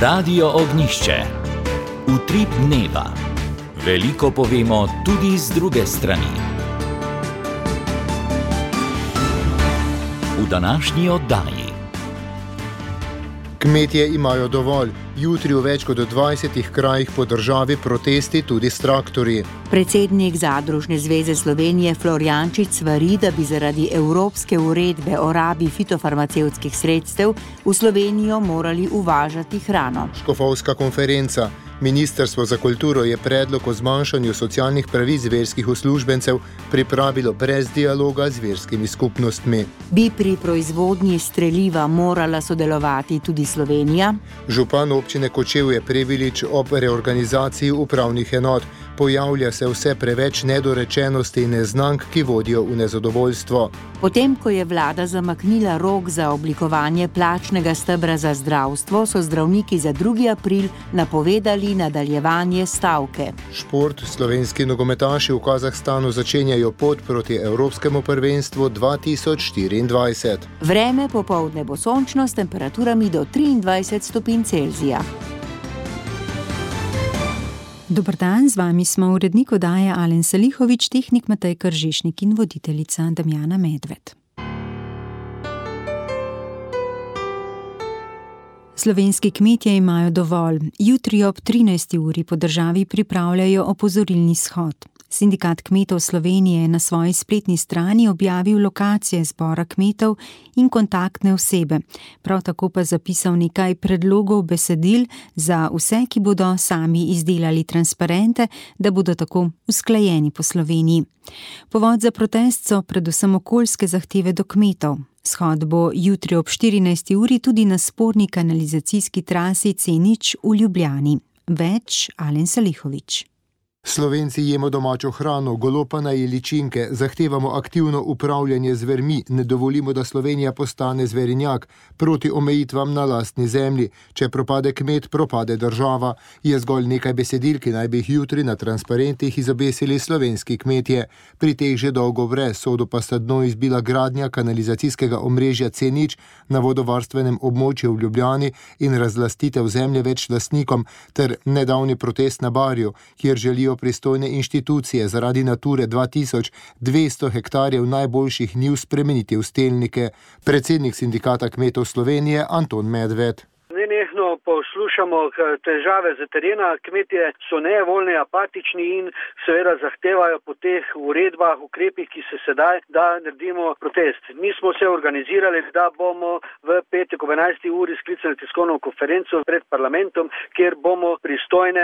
Radio Ognjišče. Utrip dneva. Veliko povemo tudi z druge strani. V današnji oddaji. Kmetje imajo dovolj. Jutri v več kot 20 krajih po državi protesti tudi s traktorji. Predsednik Zadružne zveze Slovenije Florjančič svari, da bi zaradi evropske uredbe o rabi fitofarmacevtskih sredstev v Slovenijo morali uvažati hrano. Škofovska konferenca. Ministrstvo za kulturo je predlog o zmanjšanju socialnih pravic verskih uslužbencev pripravilo brez dialoga z verskimi skupnostmi. Bi pri proizvodnji streliva morala sodelovati tudi Slovenija? Župan občine Kočevje Prebilič ob reorganizaciji upravnih enot. Pojavlja se vse preveč nedorečenosti in neznank, ki vodijo v nezadovoljstvo. Potem, ko je vlada zamaknila rok za oblikovanje plačnega stebra za zdravstvo, so zdravniki za 2. april napovedali nadaljevanje stavke. Šport. Slovenski nogometaši v Kazahstanu začenjajo pot proti Evropskemu prvenstvu 2024. Vreme popoldne bo sončno s temperaturami do 23 stopinj Celzija. Dober dan, z vami smo urednik oddaje Alen Salihovič, tehnik Matej Kržišnik in voditeljica Damjana Medved. Slovenski kmetje imajo dovolj. Jutri ob 13. uri po državi pripravljajo opozorilni shod. Sindikat kmetov Slovenije je na svoji spletni strani objavil lokacije zbora kmetov in kontaktne osebe. Prav tako pa zapisal nekaj predlogov besedil za vse, ki bodo sami izdelali transparente, da bodo tako usklajeni po Sloveniji. Povod za protest so predvsem okoljske zahteve do kmetov. Shod bo jutri ob 14. uri tudi na sporni kanalizacijski trasi C0 v Ljubljani. Več Alen Salihovič. Slovenci jemo domačo hrano, golopana in ličinke, zahtevamo aktivno upravljanje z zvermi, ne dovolimo, da Slovenija postane zverinjak, proti omejitvam na lastni zemlji. Če propade kmet, propade država. Je zgolj nekaj besedil, ki naj bi jih jutri na transparentih izobesili slovenski kmetje. Pri teh že dolgo vre, sodo pa sta dno izbila gradnja kanalizacijskega omrežja C0 na vodovarstvenem območju v Ljubljani in razlastitev zemlje več lastnikom, ter nedavni protest na Barju, kjer želijo pristojne inštitucije zaradi Nature 2200 hektarjev najboljših njiv spremeniti v stelnike. Predsednik Sindikata kmetov Slovenije Anton Medved. Nenehno poslušamo težave z terena, kmetje so nevoljni, apatični in seveda zahtevajo po teh uredbah, ukrepih, ki se sedaj, da naredimo protest. Mi smo se organizirali, da bomo v petek ob 11. uri sklicali tiskovno konferenco pred parlamentom, kjer bomo pristojne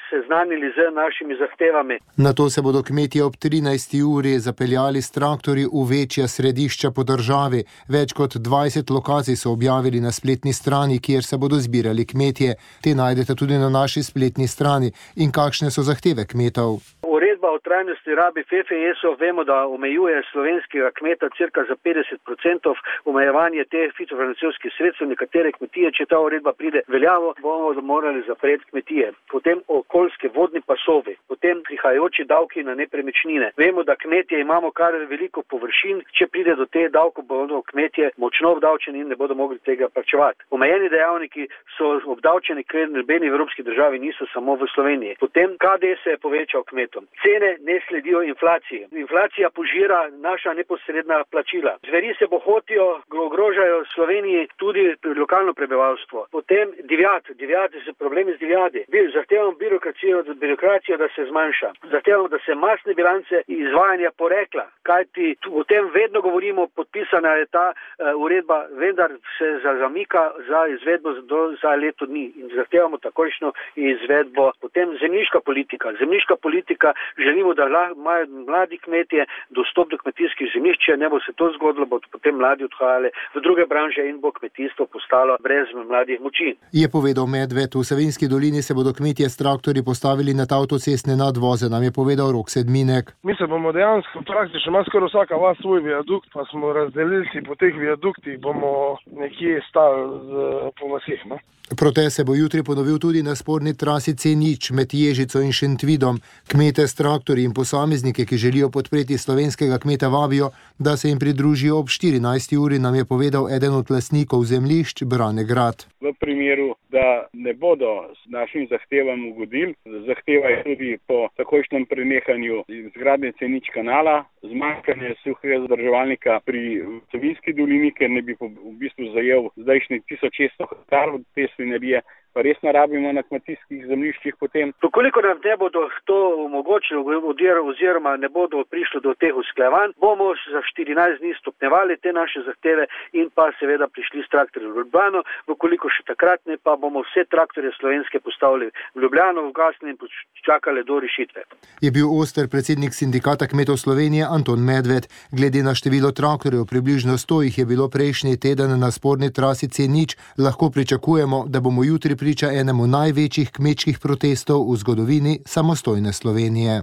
seznanili z našimi zahtevami. Nato se bodo kmetje ob 13. uri zapeljali s traktorji v večja središča po državi. Več kot 20 lokacij so objavili na spletni strani, kjer se bodo zbirali kmetje. Te najdete tudi na naši spletni strani. In kakšne so zahteve kmetov? Uredba o trajnosti rabi FFS-ov vemo, da omejuje slovenskega kmeta cirka za 50% omejevanje teh fitofarmacevtskih sredstev. Nekatere kmetije, če ta uredba pride veljavo, bomo morali zapreti kmetije. Potem okoljske vodni pasovi, potem prihajajoči davki na nepremičnine. Vemo, da kmetje imamo kar veliko površin, če pride do te davkov, bodo kmetje močno obdavčeni in ne bodo mogli tega plačevati. Omejeni dejavniki so obdavčeni, ker nobeni evropski državi niso samo v Sloveniji. Potem KD se je povečal kmetom. Cene ne sledijo inflaciji. Inflacija požira naša neposredna plačila. Zveri se bohotijo, ogrožajo Sloveniji tudi lokalno prebivalstvo. Potem divjad so problemi z divjadi. Zahtevamo birokracijo, da se zmanjša. Zahtevamo, da se masne bilance izvajanja porekla. Kajti o tem vedno govorimo, podpisana je ta uredba, vendar se zamika za izvedbo za leto dni. In zahtevamo takojšno izvedbo. Potem zemljiška politika. Želimo, da imajo mladi kmetje dostop do kmetijskih zemljišč, če ne bo se to zgodilo, bodo potem mladi odhajali v druge branže in bo kmetijstvo postalo brez mladih moči. Je povedal Medved. V Savinjski dolini se bodo kmetje s traktorji postavili nad avtocestne nadvoze, nam je povedal Rok Sedminek. Mi se bomo dejansko praktično, ima skoraj vsaka vas svoj viadukt, pa smo razdelili si po teh viaduktih, bomo nekje stavili po vasih. No? Protest se bo jutri ponovil tudi na sporni trasi C0 med Ježico in Šentvidom. Kmete s traktorji in posameznike, ki želijo podpreti slovenskega kmeta, vabijo, da se jim pridružijo ob 14. uri, nam je povedal eden od lastnikov zemljišč Brane Grad. V primeru, da ne bodo s našim zahtevam ugodili, zahtevajo tudi po takojšnjem prenehanju izgradnje C0 kanala, zmanjkanje suhega zadrževalnika pri Savinjski dolini, ker ne bi v bistvu zajel zdajšnjih 1600 hektarov te svinjarije, pa res narabimo na kmetijskih zemljiščih potem. Koliko nam ne bodo to omogočili oziroma ne bodo prišli do teh usklajevanj, bomo za 14 dni stopnjevali te naše zahteve in pa seveda prišli s traktorjem v Ljubljano, koliko še takrat ne, pa bomo vse traktorje slovenske postavili v Ljubljano, ugasnili in čakali do rešitve. Je bil oster predsednik Sindikata kmetov Slovenije Anton Medved. Glede na število traktorjev, približno 100 jih je bilo prejšnji teden na sporni trasi C0, lahko pričakujemo, da bomo jutri priča enemu največjih kmečkih protestov v zgodovini samostojne Slovenije.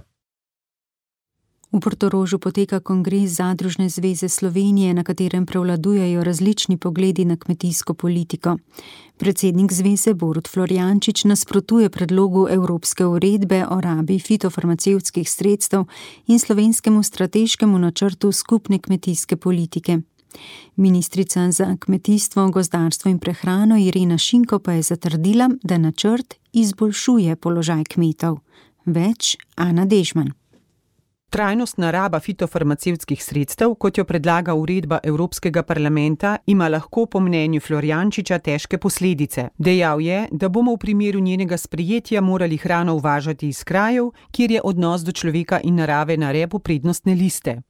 V Portorožu poteka kongres Zadružne zveze Slovenije, na katerem prevladujejo različni pogledi na kmetijsko politiko. Predsednik zveze Borut Florjančič nasprotuje predlogu Evropske uredbe o rabi fitofarmacevtskih sredstev in slovenskemu strateškemu načrtu skupne kmetijske politike. Ministrica za kmetijstvo, gozdarstvo in prehrano Irena Šinko pa je zatrdila, da načrt izboljšuje položaj kmetov. Več Ana Dežman. Trajnostna raba fitofarmacevtskih sredstev, kot jo predlaga uredba Evropskega parlamenta, ima lahko po mnenju Florjančiča težke posledice. Dejal je, da bomo v primeru njenega sprejetja morali hrano uvažati iz krajev, kjer je odnos do človeka in narave na repu prednostne liste.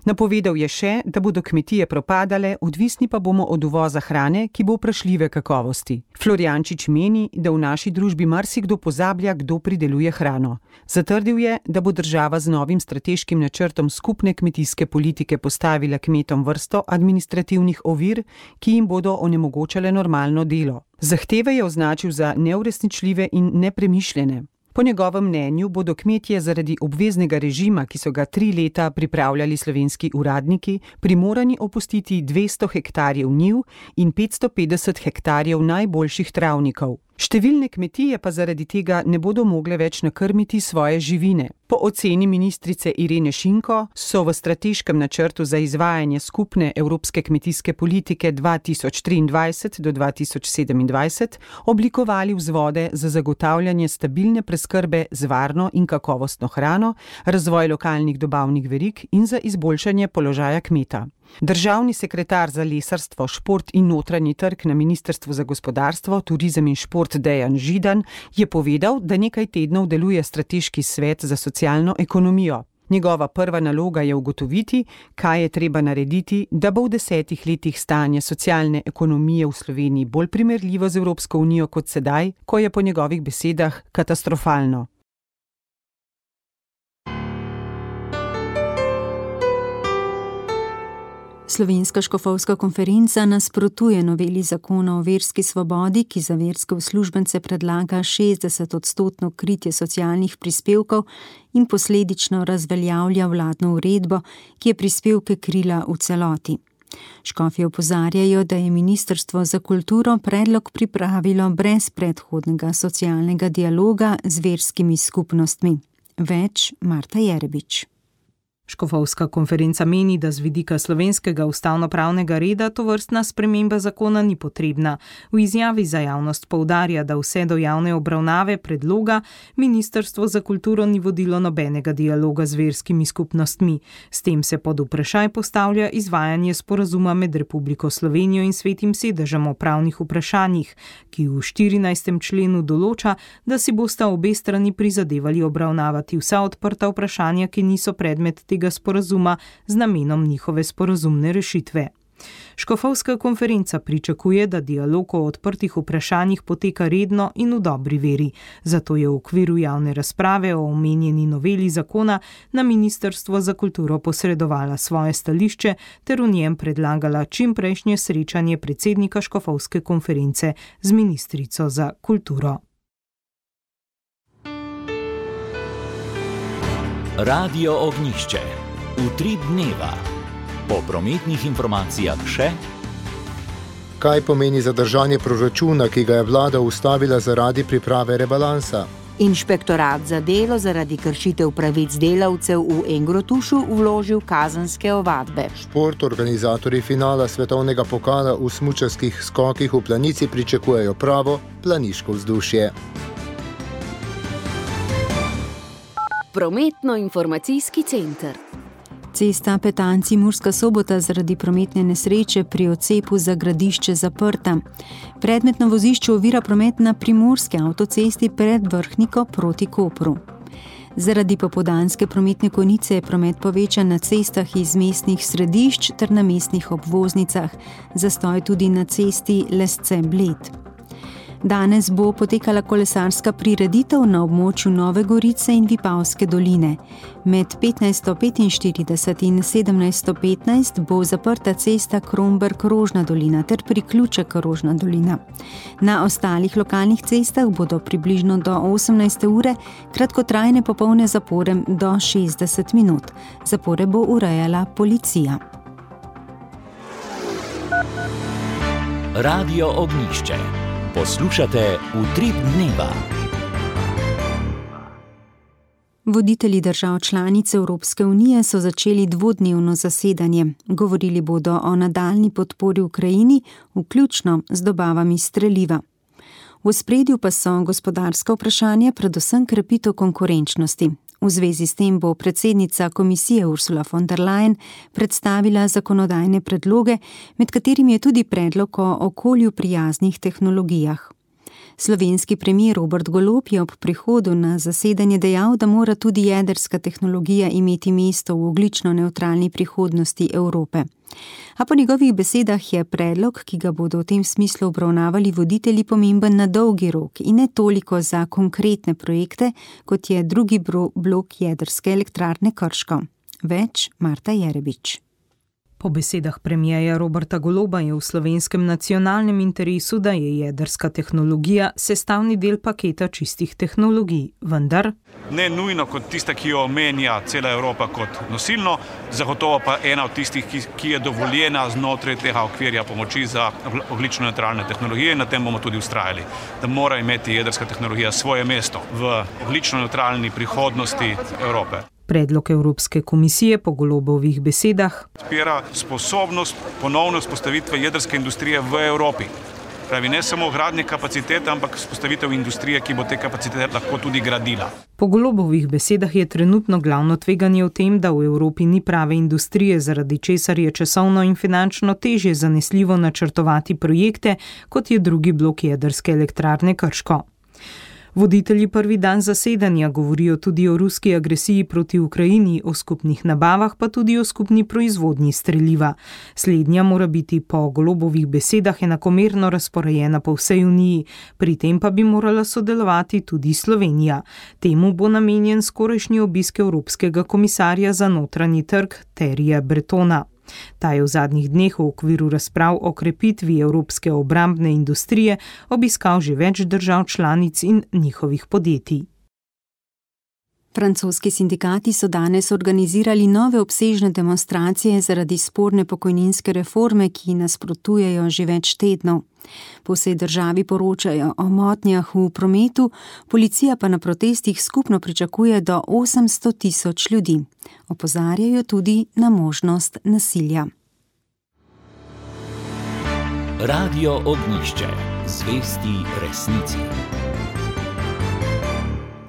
Napovedal je še, da bodo kmetije propadale, odvisni pa bomo od uvoza hrane, ki bo vprašljive kakovosti. Florjančič meni, da v naši družbi marsikdo pozablja, kdo prideluje hrano. Zatrdil je, da bo država z novim strateškim načrtom skupne kmetijske politike postavila kmetom vrsto administrativnih ovir, ki jim bodo onemogočale normalno delo. Zahteve je označil za neuresničljive in nepremišljene. Po njegovem mnenju bodo kmetje zaradi obveznega režima, ki so ga 3 leta pripravljali slovenski uradniki, primorani opustiti 200 hektarjev njiv in 550 hektarjev najboljših travnikov. Številne kmetije pa zaradi tega ne bodo mogle več nakrmiti svoje živine. Po oceni ministrice Irene Šinko so v strateškem načrtu za izvajanje skupne evropske kmetijske politike 2023 do 2027 oblikovali vzvode za zagotavljanje stabilne preskrbe z varno in kakovostno hrano, razvoj lokalnih dobavnih verig in za izboljšanje položaja kmeta. Državni sekretar za lesarstvo, šport in notranji trg na Ministrstvu za gospodarstvo, turizem in šport Dejan Židan je povedal, da nekaj tednov deluje strateški svet za socialno ekonomijo. Njegova prva naloga je ugotoviti, kaj je treba narediti, da bo v 10 letih stanje socialne ekonomije v Sloveniji bolj primerljivo z Evropsko unijo kot sedaj, ko je po njegovih besedah katastrofalno. Slovenska škofovska konferenca nasprotuje noveli zakona o verski svobodi, ki za verske uslužbence predlaga 60% kritje socialnih prispevkov in posledično razveljavlja vladno uredbo, ki je prispevke krila v celoti. Škofje opozarjajo, da je Ministrstvo za kulturo predlog pripravilo brez predhodnega socialnega dialoga z verskimi skupnostmi. Več Marta Jerebič. Škofovska konferenca meni, da z vidika slovenskega ustavnopravnega reda tovrstna sprememba zakona ni potrebna. V izjavi za javnost poudarja, da vse do javne obravnave predloga Ministrstvo za kulturo ni vodilo nobenega dialoga z verskimi skupnostmi. S tem se pod vprašaj postavlja izvajanje sporazuma med Republiko Slovenijo in Svetim sedežem o pravnih vprašanjih, ki v 14. členu določa, da si bosta obe strani prizadevali obravnavati vsa odprta vprašanja, ki niso predmet tega sporazuma z namenom njihove sporazumne rešitve. Škofovska konferenca pričakuje, da dialog o odprtih vprašanjih poteka redno in v dobri veri. Zato je v okviru javne razprave o omenjeni noveli zakona na Ministrstvo za kulturo posredovala svoje stališče ter v njem predlagala čimprejšnje srečanje predsednika Škofovske konference z ministrico za kulturo. Radio Ognjišče. Utrip dneva. Po prometnih informacijah še. Kaj pomeni zadržanje proračuna, ki ga je vlada ustavila zaradi priprave rebalansa? Inšpektorat za delo zaradi kršitev pravic delavcev v Engrotušu vložil kazenske ovadbe. Organizatorji finala svetovnega pokala v smučarskih skokih v Planici pričakujejo pravo planiško vzdušje. Prometno-informacijski center. Cesta Petanci-Murska Sobota zaradi prometne nesreče pri odcepu za Gradišče zaprta. Predmetno vozišče ovira promet na primorski avtocesti pred Vrhniko proti Kopru. Zaradi popoldanske prometne konice je promet povečan na cestah iz mestnih središč ter na mestnih obvoznicah, zastoj tudi na cesti Lesce-Bled. Danes bo potekala kolesarska prireditev na območju Nove Gorice in Vipavske doline. Med 15:45 in 17:15 bo zaprta cesta Kromberk-Rožna dolina ter priključek Rožna dolina. Na ostalih lokalnih cestah bodo približno do 18. ure kratkotrajne popolne zapore do 60 minut. Zapore bo urejala policija. Radio Ognjišče. Poslušate Utrip dneva. Voditelji držav članic Evropske unije so začeli dvodnevno zasedanje. Govorili bodo o nadaljnji podpori Ukrajini, vključno z dobavami streliva. V ospredju pa so gospodarska vprašanja, predvsem krepitev konkurenčnosti. V zvezi s tem bo predsednica komisije Ursula von der Leyen predstavila zakonodajne predloge, med katerimi je tudi predlog o okolju prijaznih tehnologijah. Slovenski premier Robert Golob je ob prihodu na zasedanje dejal, da mora tudi jedrska tehnologija imeti mesto v ogljično nevtralni prihodnosti Evrope. A po njegovih besedah je predlog, ki ga bodo v tem smislu obravnavali voditelji, pomemben na dolgi rok in ne toliko za konkretne projekte, kot je drugi blok jedrske elektrarne Krško. Več Marta Jerebič. Po besedah premierja Roberta Goloba je v slovenskem nacionalnem interesu, da je jedrska tehnologija sestavni del paketa čistih tehnologij, vendar ne nujno kot tista, ki jo omenja cela Evropa kot nosilno, zagotovo pa ena od tistih, ki je dovoljena znotraj tega okvirja pomoči za ogljično nevtralne tehnologije, in na tem bomo tudi vztrajali, da mora imeti jedrska tehnologija svoje mesto v ogljično nevtralni prihodnosti Evrope. Predlog Evropske komisije po Golobovih besedah odpira sposobnost ponovne vzpostavitve jedrske industrije v Evropi. Pravi, ne samo gradnje kapacitete, ampak vzpostavitev industrije, ki bo te kapacitete lahko tudi gradila. Po Golobovih besedah je trenutno glavno tveganje v tem, da v Evropi ni prave industrije, zaradi česar je časovno in finančno težje zanesljivo načrtovati projekte, kot je drugi blok jedrske elektrarne Krško. Voditelji prvi dan zasedanja govorijo tudi o ruski agresiji proti Ukrajini, o skupnih nabavah, pa tudi o skupni proizvodnji streliva. Slednja mora biti po Golobovih besedah enakomerno razporejena po vsej Uniji, pri tem pa bi morala sodelovati tudi Slovenija. Temu bo namenjen skorajšnji obisk Evropskega komisarja za notranji trg Thierryja Bretona. Ta je v zadnjih dneh v okviru razprav o krepitvi evropske obrambne industrije obiskal že več držav članic in njihovih podjetij. Francoski sindikati so danes organizirali nove obsežne demonstracije zaradi sporne pokojninske reforme, ki nasprotujejo že več tednov. Po vsej državi poročajo o motnjah v prometu, policija pa na protestih skupno pričakuje do 800.000 ljudi. Opozarjajo tudi na možnost nasilja. Radio Ognjišče. Zvesti resnici.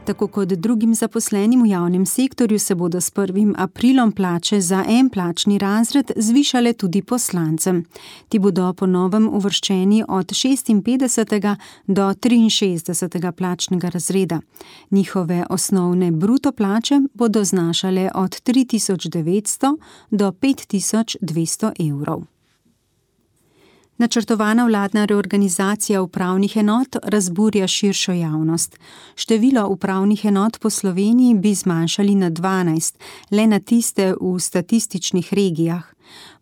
Tako kot drugim zaposlenim v javnem sektorju se bodo s 1. aprilom plače za en plačni razred zvišale tudi poslancem. Ti bodo po novem uvrščeni od 56. do 63. plačnega razreda. Njihove osnovne bruto plače bodo znašale od 3.900 do 5.200 evrov. Načrtovana vladna reorganizacija upravnih enot razburja širšo javnost. Število upravnih enot po Sloveniji bi zmanjšali na 12, le na tiste v statističnih regijah.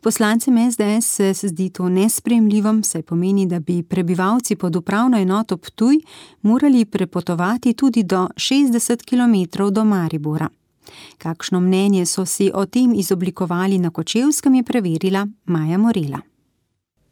Poslancem SDS se zdi to nesprejemljivo, saj pomeni, da bi prebivalci pod upravno enoto Ptuj morali prepotovati tudi do 60 km do Maribora. Kakšno mnenje so si o tem izoblikovali na Kočevskem, je preverila Maja Morela.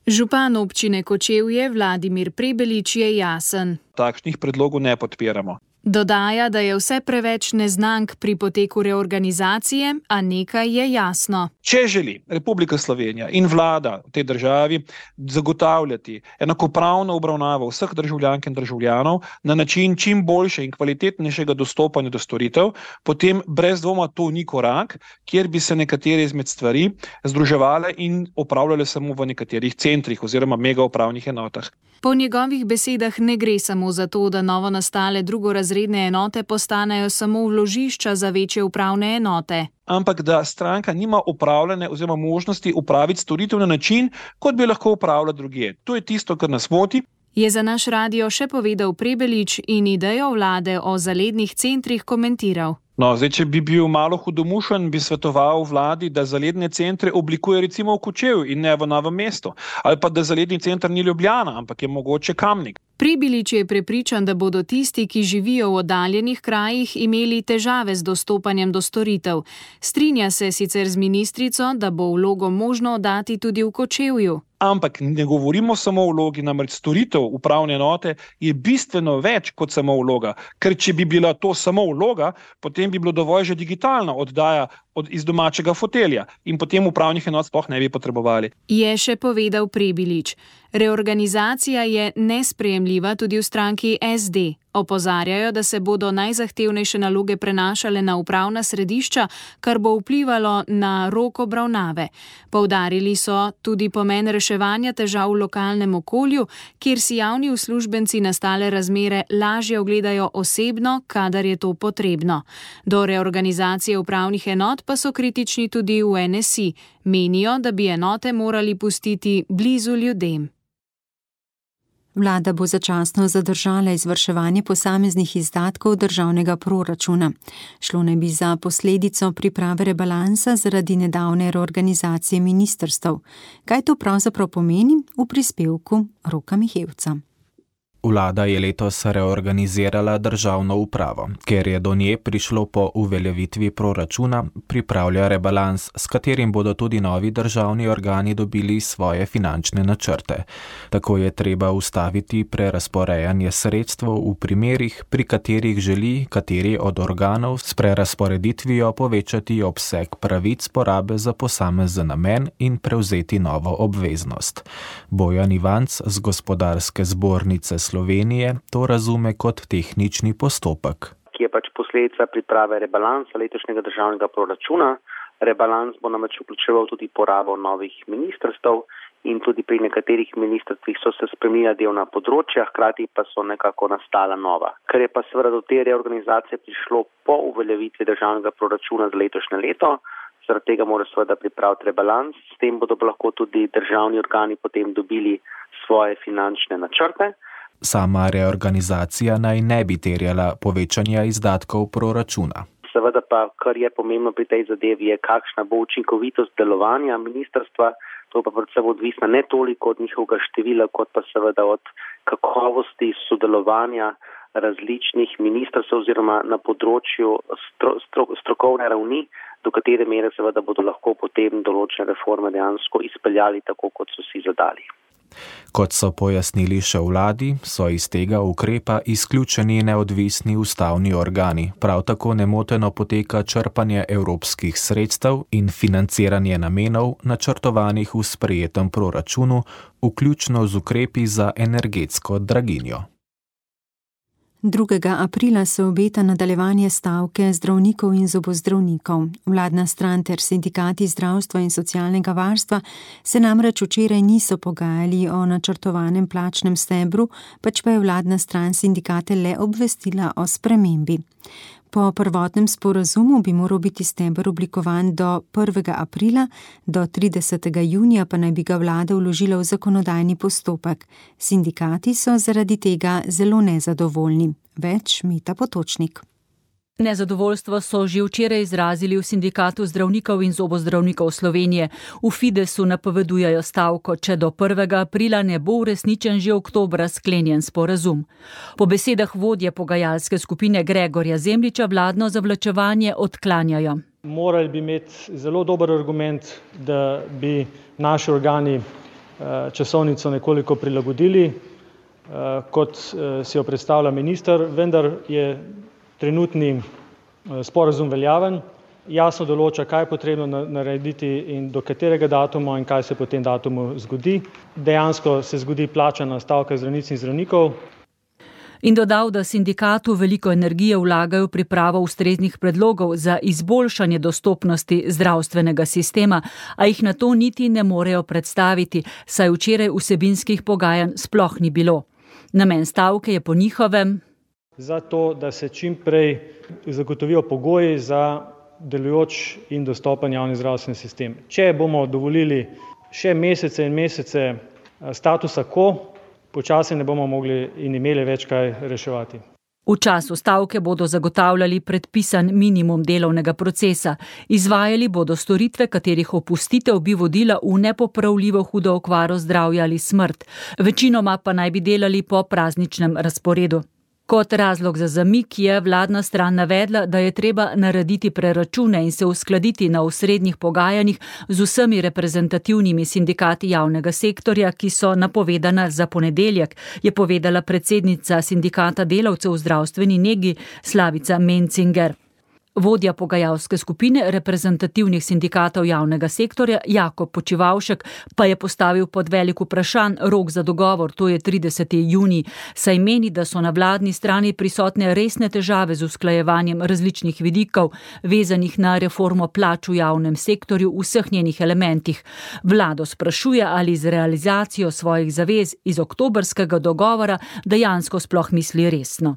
Župan občine Kočevje Vladimir Prebelič je jasen. Takšnih predlogov ne podpiramo. Dodaja, da je vse preveč neznank pri poteku reorganizacije, a nekaj je jasno. Če želi Republika Slovenija in vlada v tej državi zagotavljati enakopravno obravnavo vseh državljank in državljanov na način čim boljše in kvalitetnejšega dostopanja do storitev, potem brez dvoma to ni korak, kjer bi se nekatere izmed stvari združevale in opravljale samo v nekaterih centrih oziroma mega upravnih enotah. Po njegovih besedah ne gre samo za to, da novo nastale drugorazredne enote postanejo samo vložišča za večje upravne enote. Ampak da stranka nima upravljene oziroma možnosti upraviti storitev na način, kot bi lahko upravljala drugje. To je tisto, kar nas moti. Je za naš radio še povedal Prebelič in idejo vlade o zalednih centrih komentiral. Če bi bil malo hudomušen, bi svetoval vladi, da zaledne centre oblikuje recimo v Kočevju in ne v Novem mestu. Ali pa da zaledni center ni Ljubljana, ampak je mogoče Kamnik. Prebelič je prepričan, da bodo tisti, ki živijo v oddaljenih krajih, imeli težave z dostopanjem do storitev. Strinja se sicer z ministrico, da bo vlogo možno oddati tudi v Kočevju. Ampak ne govorimo samo o vlogi, namreč storitev upravne enote je bistveno več kot samo vloga. Ker če bi bila to samo vloga, potem bi bilo dovolj že digitalna oddaja iz domačega fotelja in potem upravnih enot sploh ne bi potrebovali. Je še povedal Prebelič. Reorganizacija je nesprejemljiva tudi v stranki SD. Opozarjajo, da se bodo najzahtevnejše naloge prenašale na upravna središča, kar bo vplivalo na rok obravnave. Poudarili so tudi pomen reševanja težav v lokalnem okolju, kjer si javni uslužbenci nastale razmere lažje ogledajo osebno, kadar je to potrebno. Do reorganizacije upravnih enot pa so kritični tudi v NSI. Menijo, da bi enote morali pustiti blizu ljudem. Vlada bo začasno zadržala izvrševanje posameznih izdatkov državnega proračuna. Šlo naj bi za posledico priprave rebalansa zaradi nedavne reorganizacije ministrstev. Kaj to pravzaprav pomeni? V prispevku Roka Mihevca. Vlada je letos reorganizirala državno upravo. Ker je do nje prišlo po uveljavitvi proračuna, pripravlja rebalans, s katerim bodo tudi novi državni organi dobili svoje finančne načrte. Tako je treba ustaviti prerazporejanje sredstev v primerih, pri katerih želi kateri od organov s prerazporeditvijo povečati obseg pravic porabe za posamezen namen in prevzeti novo obveznost. Bojan Ivanc z Gospodarske zbornice Slovenije to razume kot tehnični postopek. Ki je posledica priprave rebalansa letošnjega državnega proračuna. Rebalans bo namreč vključeval tudi porabo novih ministrstev in tudi pri nekaterih ministrstvih so se spremenila delovna področja, hkrati pa so nekako nastala nova. Ker je pa seveda do te reorganizacije prišlo po uveljavitvi državnega proračuna za letošnje leto, zaradi tega mora seveda pripraviti rebalans, s tem bodo lahko tudi državni organi potem dobili svoje finančne načrte. Sama reorganizacija naj ne bi terjala povečanja izdatkov proračuna. Seveda pa, kar je pomembno pri tej zadevi, je kakšna bo učinkovitost delovanja ministrstva. To pa predvsem odvisno ne toliko od njihovega števila, kot pa seveda od kakovosti sodelovanja različnih ministrstv oziroma na področju strokovne ravni, do katere mere seveda bodo lahko potem določene reforme dejansko izpeljali tako, kot so si zadali. Kot so pojasnili še vladi, so iz tega ukrepa izključeni neodvisni ustavni organi. Prav tako nemoteno poteka črpanje evropskih sredstev in financiranje namenov, načrtovanih v sprejetem proračunu, vključno z ukrepi za energetsko draginjo. 2. aprila se obeta nadaljevanje stavke zdravnikov in zobozdravnikov. Vladna stran ter sindikati zdravstva in socialnega varstva se namreč včeraj niso pogajali o načrtovanem plačnem stebru, pač pa je vladna stran sindikate le obvestila o spremembi. Po prvotnem sporazumu bi moral biti steber oblikovan do 1. aprila, do 30. junija pa naj bi ga vlada vložila v zakonodajni postopek. Sindikati so zaradi tega zelo nezadovoljni. Več Meta Potočnik. Nezadovoljstvo so že včeraj izrazili v Sindikatu zdravnikov in zobozdravnikov Slovenije. V Fidesu napovedujejo stavko, če do 1. aprila ne bo uresničen že oktobra sklenjen sporazum. Po besedah vodje pogajalske skupine Gregorja Zemljiča vladno zavlačevanje odklanjajo. Morali bi imeti zelo dober argument, da bi naši organi časovnico nekoliko prilagodili. kot si jo predstavlja minister, vendar je trenutni sporazum veljaven, jasno določa, kaj je potrebno narediti in do katerega datuma in kaj se po tem datumu zgodi. Dejansko se zgodi plačana stavka zdravnic in zdravnikov. In dodal, da sindikatu veliko energije vlagajo v pripravo ustreznih predlogov za izboljšanje dostopnosti zdravstvenega sistema, a jih na to niti ne morejo predstaviti, saj včeraj vsebinskih pogajanj sploh ni bilo. Namen stavke je po njihovem zato, da se čim prej zagotovijo pogoji za delujoč in dostopen javni zdravstveni sistem. Če bomo dovolili še mesece in mesece statusa quo, počasi ne bomo mogli in imeli več kaj reševati. V času stavke bodo zagotavljali predpisan minimum delovnega procesa. Izvajali bodo storitve, katerih opustitev bi vodila v nepopravljivo hudo okvaro zdravja ali smrt. Večinoma pa naj bi delali po prazničnem razporedu. Kot razlog za zamik je vladna stran navedla, da je treba narediti preračune in se uskladiti na osrednjih pogajanjih z vsemi reprezentativnimi sindikati javnega sektorja, ki so napovedana za ponedeljek, je povedala predsednica sindikata delavcev v zdravstveni negi Slavica Mencinger. Vodja pogajalske skupine reprezentativnih sindikatov javnega sektorja Jakob Počivavšek pa je postavil pod velik vprašanj rok za dogovor, to je 30. junij, saj meni, da so na vladni strani prisotne resne težave z usklajevanjem različnih vidikov, vezanih na reformo plač v javnem sektorju v vseh njenih elementih. Vlado sprašuje, ali z realizacijo svojih zavez iz oktobrskega dogovora dejansko sploh misli resno.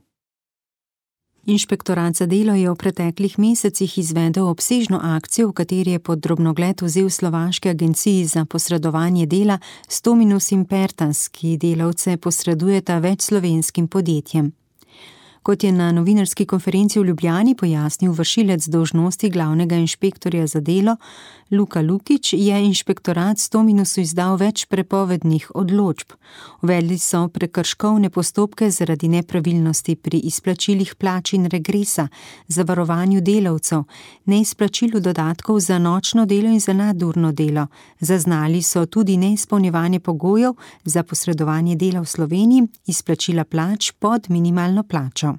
Inšpektorat za delo je v preteklih mesecih izvedel obsežno akcijo, v kateri je pod drobnogled vzel slovaški agenciji za posredovanje dela Stominus in Pertas, ki delavce posredujeta več slovenskim podjetjem. Kot je na novinarski konferenci v Ljubljani pojasnil vršilec dolžnosti glavnega inšpektorja za delo Luka Lukič, je inšpektorat Stominusu izdal več prepovednih odločb. Uvedli so prekrškovne postopke zaradi nepravilnosti pri izplačilih plač in regresa, zavarovanju delavcev, neizplačilu dodatkov za nočno delo in za nadurno delo. Zaznali so tudi neizpolnjevanje pogojev za posredovanje dela v Sloveniji, izplačila plač pod minimalno plačo.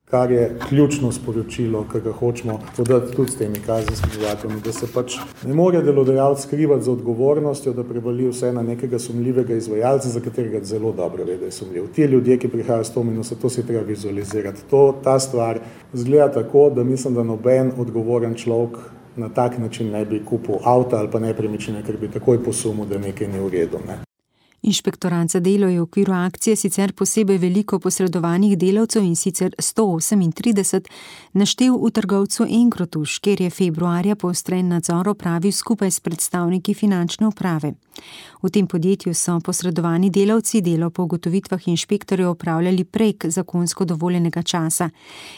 Kar je ključno sporočilo, ki ga hočemo podati tudi s temi kazenskimi zakoni, da se pač ne more delodajalec skrivati z odgovornostjo, da prevali vse na nekega sumljivega izvajalca, za katerega zelo dobro ve, da je sumljiv. Ti ljudje, ki prihajajo s Stominusa, to si treba vizualizirati. Ta stvar zgleda tako, da mislim, da noben odgovoren človek na tak način ne bi kupil avta ali pa nepremičnine, ker bi takoj posumil, da nekaj ni v redu. Inšpektorat za delo je v okviru akcije sicer posebej veliko posredovanih delavcev, in sicer 138, naštel v trgovcu Engrotuš, kjer je februarja poostren nadzor opravil skupaj s predstavniki finančne uprave. V tem podjetju so posredovani delavci delo po ugotovitvah inšpektorjev opravljali prek zakonsko dovoljenega časa.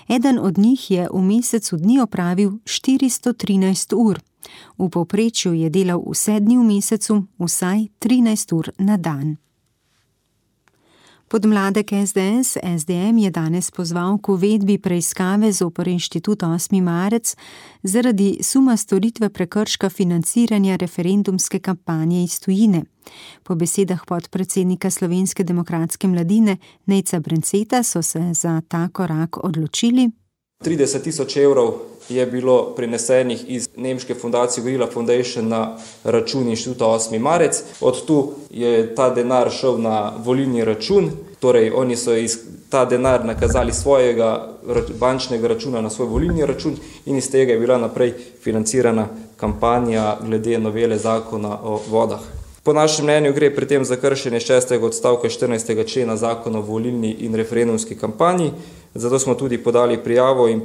Eden od njih je v mesecu dni opravil 413 ur. V povprečju je delal vse dni v mesecu, vsaj 13 ur na dan. Podmladek SDS, SDM je danes pozval k uvedbi preiskave zoper Inštitut 8. marec zaradi suma storitve prekrška financiranja referendumske kampanje iz tujine. Po besedah podpredsednika Slovenske demokratske mladine Nejca Brenceta so se za ta korak odločili. 30.000 evrov je bilo prenesenih iz nemške fundacije Gorilla Foundation na račun Inštituta 8. marec. Od tu je ta denar šel na volilni račun, torej oni so ta denar nakazali svojega bančnega računa na svoj volilni račun in iz tega je bila naprej financirana kampanja glede novele zakona o vodah. Po našem mnenju gre pri tem za kršenje 6. odstavka 14. člena zakona o volilni in referendumski kampanji, zato smo tudi podali prijavo in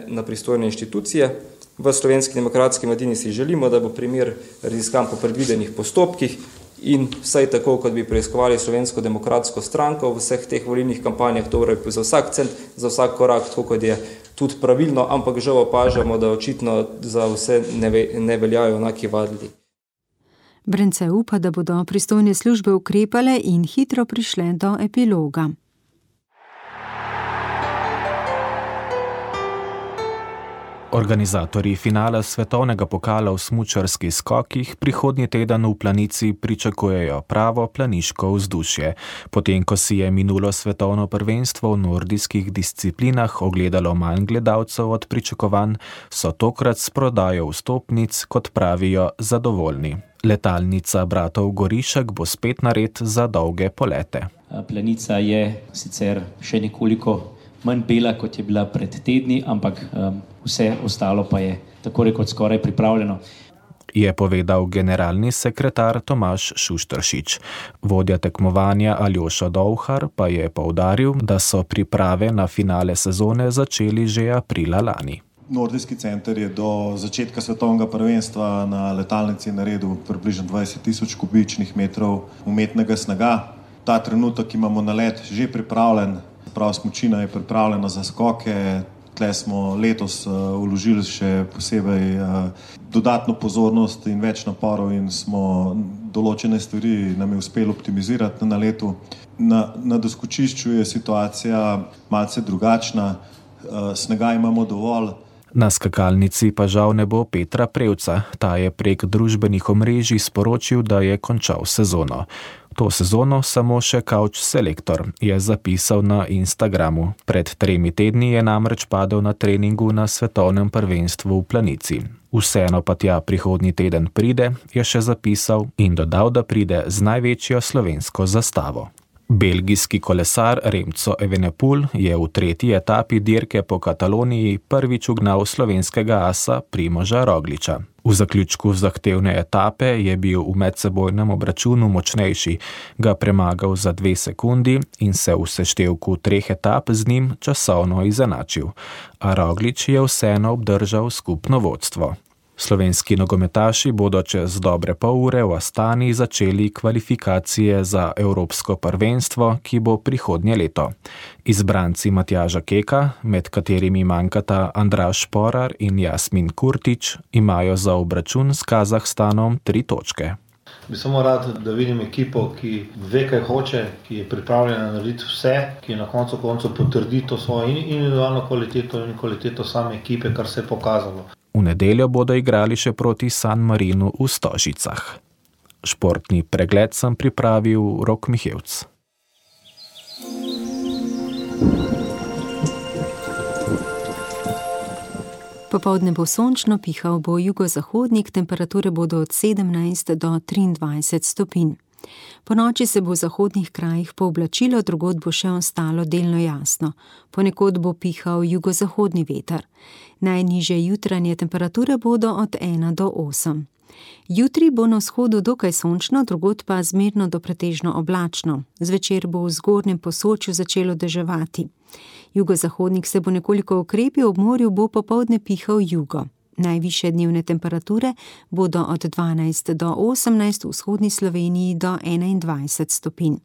na pristojne inštitucije. V Slovenski demokratski mladini si želimo, da bo primer raziskan po predvidenih postopkih in vsaj tako, kot bi preiskovali Slovensko demokratsko stranko v vseh teh volilnih kampanjah, torej za vsak cent, za vsak korak, tako kot je tudi pravilno, ampak žal opažamo, da očitno za vse ne veljajo enaki vadili. Brence upa, da bodo pristojne službe ukrepale in hitro prišle do epiloga. Organizatorji finala svetovnega pokala v smučarskih skokih prihodnji teden v Planici pričakujejo pravo planiško vzdušje. Potem, ko si je minulo svetovno prvenstvo v nordijskih disciplinah ogledalo manj gledalcev od pričakovanj, so tokrat s prodajo vstopnic, kot pravijo, zadovoljni. Letalnica bratov Gorišek bo spet nared za dolge polete. Planica je sicer še nekoliko manj bela, kot je bila pred tedni, ampak vse ostalo pa je tako rekoč skoraj pripravljeno. Je povedal generalni sekretar Tomaž Šušteršič. Vodja tekmovanja Aljoša Dovhar pa je poudaril, da so priprave na finale sezone začeli že aprila lani. Nordijski center je do začetka svetovnega prvenstva na letalnici naredil približno 20,000 kubičnih metrov umetnega snega. Ta trenutek imamo nalet že pripravljen. Prav smučina je pripravljena za skoke. Tle smo letos vložili še posebej dodatno pozornost in več naporov in smo določene stvari nam je uspelo optimizirati na letu. Na doskočišču je situacija malce drugačna. Snega imamo dovolj. Na skakalnici pa žal ne bo Petra Prevca. Ta je prek družbenih omrežij sporočil, da je končal sezono. To sezono samo še couch selektor, je zapisal na Instagramu. Pred 3 tedni je namreč padel na treningu na svetovnem prvenstvu v Planici. Vseeno pa tja prihodnji teden pride, je še zapisal in dodal, da pride z največjo slovensko zastavo. Belgijski kolesar Remco Evenepoel je v 3. etapi dirke po Kataloniji prvič ugnal slovenskega asa Primoža Rogliča. V zaključku zahtevne etape je bil v medsebojnem obračunu močnejši, ga premagal za 2 sekundi in se v seštevku 3 etap z njim časovno izenačil, a Roglič je vseeno obdržal skupno vodstvo. Slovenski nogometaši bodo čez dobre pol ure v Astani začeli kvalifikacije za Evropsko prvenstvo, ki bo prihodnje leto. Izbranci Matjaža Keka, med katerimi manjkata Andraž Šporar in Jasmin Kurtič, imajo za obračun s Kazahstanom 3 točke. Bi samo rad, da vidim ekipo, ki ve, kaj hoče, ki je pripravljena narediti vse, ki na koncu potrdi to svojo individualno kvaliteto in kvaliteto same ekipe, kar se je pokazalo. V nedeljo bodo igrali še proti San Marinu v Stožicah. Športni pregled sem pripravil Rok Mihevc. Popoldne bo sončno, pihal bo jugozahodnik, temperature bodo od 17 do 23 stopinj. Po noči se bo v zahodnih krajih pooblačilo, drugod bo še ostalo delno jasno. Ponekod bo pihal jugozahodni veter. Najnižje jutranje temperature bodo od 1 do 8. Jutri bo na vzhodu dokaj sončno, drugod pa zmerno do pretežno oblačno. Zvečer bo v zgornjem Posočju začelo deževati. Jugozahodnik se bo nekoliko okrepil, ob morju bo popoldne pihal jugo. Najvišje dnevne temperature bodo od 12 do 18, v vzhodni Sloveniji do 21 stopinj.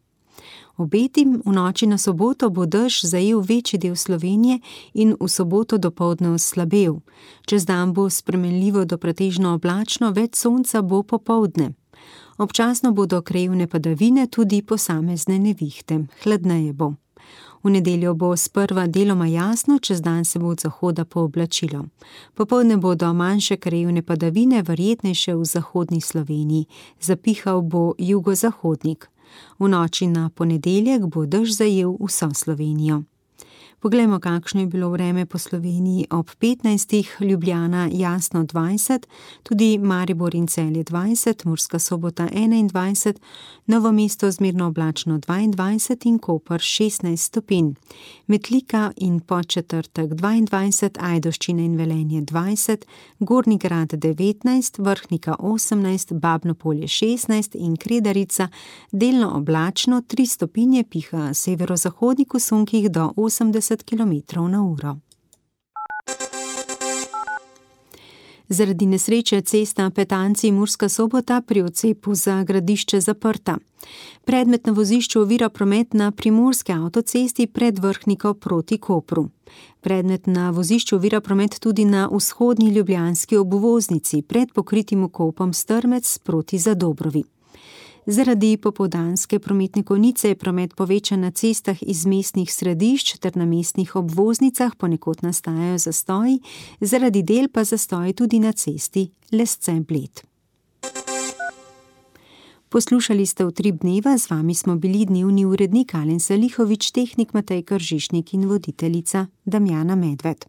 Obetim, v noči na soboto bo dež zajel večji del Slovenije in v soboto dopoldne oslabel. Čez dan bo spremenljivo do pretežno oblačno, več sonca bo popoldne. Občasno bodo krajevne padavine, tudi posamezne nevihte. Hladneje bo. V nedeljo bo sprva deloma jasno, čez dan se bo od zahoda pooblačilo. Popoldne bodo manjše krajevne padavine, verjetnejše v zahodni Sloveniji. Zapihal bo jugozahodnik. V noči na ponedeljek bo dež zajel vso Slovenijo. Poglejmo, kakšno je bilo vreme po Sloveniji ob 15. Ljubljana jasno 20, tudi Maribor in Celje 20, Murska Sobota 21, Novo mesto zmerno oblačno 22 in Koper 16 stopinj. Metlika in Podčetrtek 22, Ajdovščina in Velenje 20, Gornji Grad 19, Vrhnika 18, Babno Polje 16 in Kredarica delno oblačno 3 stopinje, piha severozahodnik v sunkih do 80 km/h. Zaradi nesreče cesta Petanci Murska Sobota pri odcepu za Gradišče zaprta. Predmet na vozišču ovira promet na primorski avtocesti pred Vrhniko proti Kopru. Predmet na vozišču ovira promet tudi na vzhodni ljubljanski obvoznici pred pokritim vkopom Strmec proti Zadobrovi. Zaradi popoldanske prometne konice je promet povečan na cestah iz mestnih središč ter na mestnih obvoznicah, ponekod nastajajo zastoji, zaradi del pa zastoji tudi na cesti Lesce-Bled. Poslušali ste Utrip dneva, z vami smo bili dnevni urednik Alen Salihovič, tehnik Matej Kržišnik in voditeljica Damjana Medved.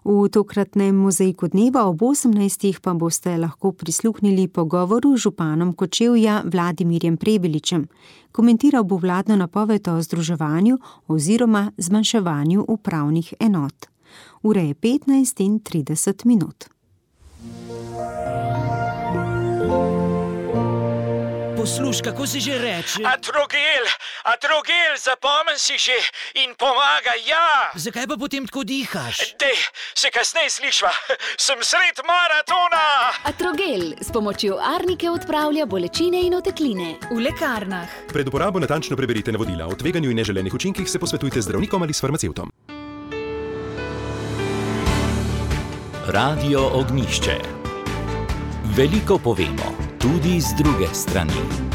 V tokratnem mozaiku dneva ob 18. pa boste lahko prisluhnili pogovoru z županom Kočevja Vladimirjem Prebiličem. Komentiral bo vladno napoved o združevanju oziroma zmanjševanju upravnih enot. Ura je 15:30. Poslušaj, kako se že reče? Atrogel, zapomni si že in pomaga, ja. Zakaj pa potem tako dihaš? Dej, se kasneje slišva, sem sred maratona. Atrogel s pomočjo arnike odpravlja bolečine in otekline. V lekarnah. Pred uporabo natančno preberite navodila. O tveganju in neželenih učinkih se posvetujte z zdravnikom ali s farmacevtom. Radio Ognjišče. Veliko povemo, tudi z druge strani.